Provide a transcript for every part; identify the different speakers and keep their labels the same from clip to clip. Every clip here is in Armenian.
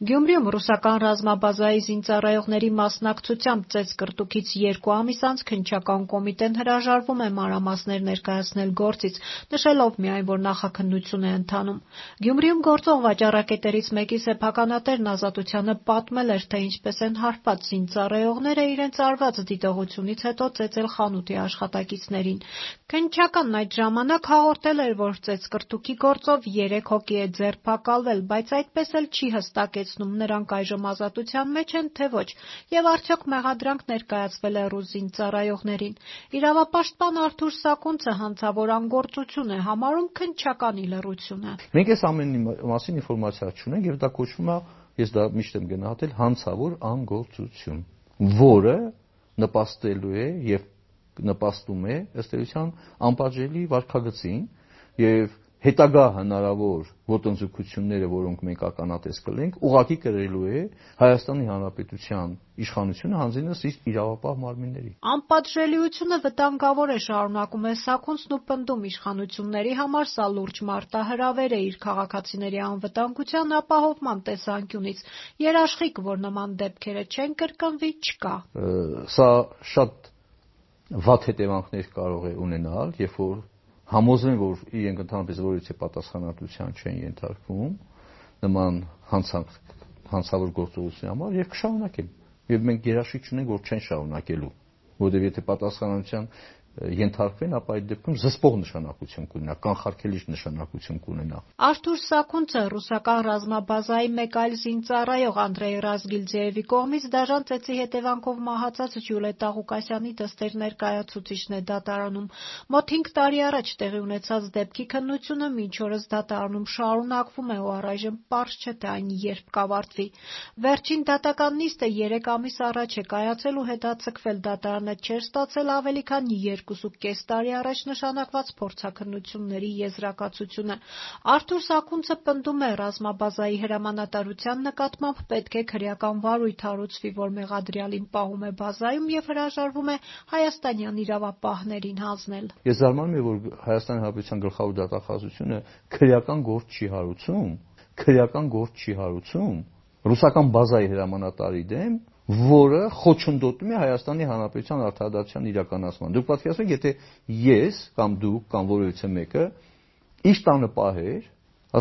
Speaker 1: Գյումրիում ռուսական ռազմաբազայի զինծառայողների մասնակցությամբ ծեծկռտուքից 2 ամիս անց քննչական կոմիտեն հրաժարվում է մանրամասներ ներկայացնել գործից, նշելով միայն, որ նախաքննություն է ընթանում։ Գյումրիում գործող վաճառակետերից մեկի սեփականատերն Ազատությանը պատմել էր, թե ինչպես են հարբած զինծառայողները իրենց արված դիտողությունից հետո ծեծել խանութի աշխատակիցներին։ Քննչականն այդ ժամանակ հաղորդել էր, որ ծեծկռտուքի գործով 3 հոգի է ձերբակալվել, բայց այդպես էլ չի հստակեցնում նրանք այժմ ազատության մեջ են, թե ոչ, եւ արդյոք մեղադրանք ներկայացվել է ռուս զինծառայողներին։ Իրավապաշտպան Արթուր Սակունցը հանցավոր անգործություն է համարում քննչականի լռությունը։
Speaker 2: Մենք այս ամենի մասին ինֆորմացիա չունենք եւ դա կոչվում է, ես դա միշտ եմ գնահատել, հանցավոր անգործություն, որը նպաստելու է եւ նպաստում է ըստ էության անպատժելի վարքագծին եւ հետագա հնարավոր ոտնձգությունները, որոնք մենք ականատես կլինենք, ուղղակի կրելու է Հայաստանի Հանրապետության իշխանությունը հանձինս իր իրավապահ մարմինների։
Speaker 1: Անպատժելիությունը վտանգավոր է, շարունակում է Սակունցն ու պնդում իշխանությունների համար սա լուրջ մարտահրավեր է իր քաղաքացիների անվտանգության ապահովման տեսանկյունից։ Երաշխիք, որ նման դեպքերը չեն կրկնվի, չկա։
Speaker 2: Սա շատ վատ հետևանքներ կարող է ունենալ, երբ որ համոզվեն, որ իրենք ընդհանրապես որևէ պատասխանատվության չեն ենթարկվում նման հանցավոր գործողության համար եւ կշարունակեն։ Եվ մենք երաշխիք չունենք, որ չեն շարունակելու, որովհետեւ եթե պատասխանատվության ենթարկվեն, ապա այդ դեպքում զսպող նշանակություն կունենա, կանխարգելիչ նշանակություն կունենա։
Speaker 1: Արթուր Սակունցը ռուսական ռազմաբազայի մեկ այլ զինծառայող Անդրեյ Ռազգիլձեևի կողմից դաժան ծեծի հետևանքով մահացած Ջուլիետտա Ղուկասյանի դստեր ներկայացուցիչն է դատարանում։ Մոտ 5 տարի առաջ տեղի ունեցած դեպքի քննությունը մինչ օրս դատարանում շարունակվում է ու առայժմ պարզ չէ, թե այն երբ կավարտվի։ Վերջին դատական նիստը 3 ամիս առաջ է կայացել ու հետաձգվել, դատարանը չէր ստացել ավելի քան 2.5 տարի առաջ նշանակված փորձաքննությունների եզրակացությունը։ Արթուր Սակունցը պնդում է, ռազմաբազայի հրամանատարության նկատմամբ պետք է քրեական վարույթ հարուցվի, որ մեղադրյալին պահում է բազայում եւ հրաժարվում է հայաստանյան իրավապահներին հանձնել։
Speaker 2: Ես զարմանում եմ, որ Հայաստանի Հանրապետության գլխավոր դատախազությունը քրեական գործ չի հարուցում ռուսական բազայի հրամանատարի դեմ, որը խոչընդոտում է Հայաստանի Հանրապետության արդարադատության իրականացման։ Դուք պատկերացրեք, եթե ես կամ դուք կամ որևէ մեկը իր տանը պահեր,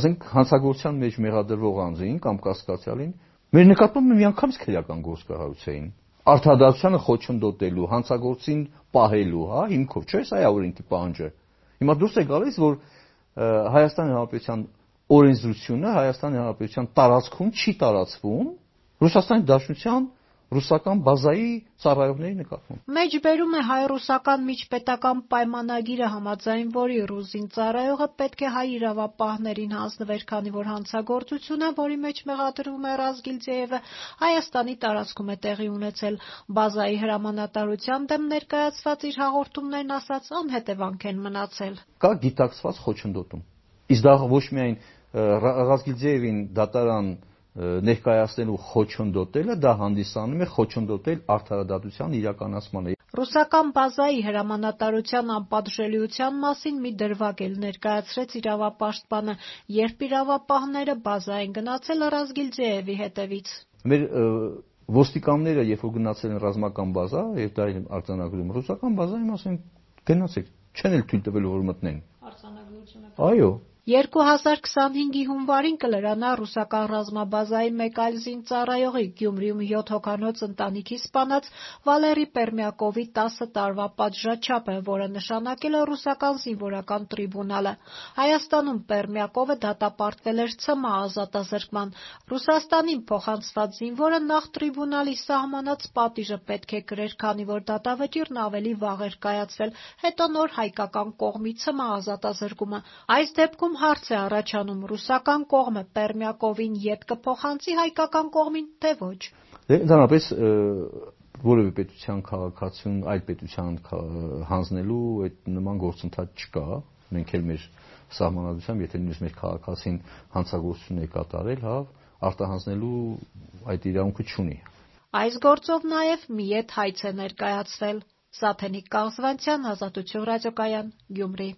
Speaker 2: ասենք հանցագործության մեջ մեղադրվող անձին կամ կասկածյալին, մեր նկատմամբ միանգամից քրեական գործ կհարուցեին։ Արդարադատությանը խոչընդոտելու, հանցագործին պահելու, հիմքով, չէ՞, սա է օրենքի պահանջը։ Հիմա դուրս է գալիս, որ Հայաստանի Հանրապետության օրենսդրությունը Հայաստանի Հանրապետության տարածքում չի տարածվում Ռուսաստանի Դաշնության ռուսական բազայի ծառայողների նկատմամբ։
Speaker 1: Մեջբերում է հայ-ռուսական միջպետական պայմանագիրը, համաձայն որի ռուս զինծառայողը պետք է հայ իրավապահներին հանձնվեր, քանի որ հանցագործությունը, որի մեջ մեղադրվում է Ռազգիլձեևը, Հայաստանի տարածքում է տեղի ունեցել։ Բազայի հրամանատարության դեմ ներկայացված իր հաղորդումներն ասած անհետևանք են մնացել։
Speaker 2: Կա գիտակցված խոչընդոտում։ Իսկ դա ոչ միայն Ռազգիլձեևին դատարան ներկայացնելու խոչընդոտելը, դա հանդիսանում է խոչընդոտել արդարադատության իրականացմանը։
Speaker 1: Ռուսական բազայի հրամանատարության անպատժելիության մասին մի դրվագ էլ ներկայացրեց իրավապաշտպանը, երբ իրավապահները բազա են գնացել Ռազգիլձեևի հետևից։
Speaker 2: Մեր ոստիկանները, երբ որ գնացել են ռազմական բազա, եւ դա արձանագրում ռուսական բազայի մասին, գնացեք, չեն էլ թույլ տվել, որ մտնեն։
Speaker 1: Արձանագրությունը։
Speaker 2: Այո։
Speaker 1: 2025-ի հունվարին կլրանա ռուսական ռազմաբազայի մեկ այլ զինծառայողի Գյումրիում 7 հոգանոց ընտանիքի սպանած Վալերի Պերմյակովի 10 տարվա պատժաչափը, որը նշանակել է ռուսական զինվորական տրիբունալը։ Հայաստանում Պերմյակովը դատապարտվել էր ՑՄ ազատազրկման։ Ռուսաստանին փոխանցված զինվորը նախ տրիբունալի սահմանած պատիժը պետք է կրեր, քանի որ դատավճիռն ավելի վաղ էր կայացվել, հետո նոր հայկական կողմի ՑՄ ազատազրկումը։ Այս դեպքում հարց է առաջանում, ռուսական կողմը Պերմյակովին ետ կփոխանցի հայկական կողմին, թե ոչ։
Speaker 2: Ընդհանրապես որևէ պետության քաղաքացուն այլ պետության հանձնելու այդ նման գործընթաց չկա։ Մենք էլ մեր սահմանադրությամբ, եթե նույնիսկ մեր քաղաքացին հանցագործություն է կատարել, արտահանձնելու այդ իրավունքը չունի։
Speaker 1: Այս գործով նաև մի ետ հայց է ներկայացվել։ Սաթենիկ Կաղզվանցյան, Ազատություն ռադիոկայան, Գյումրի։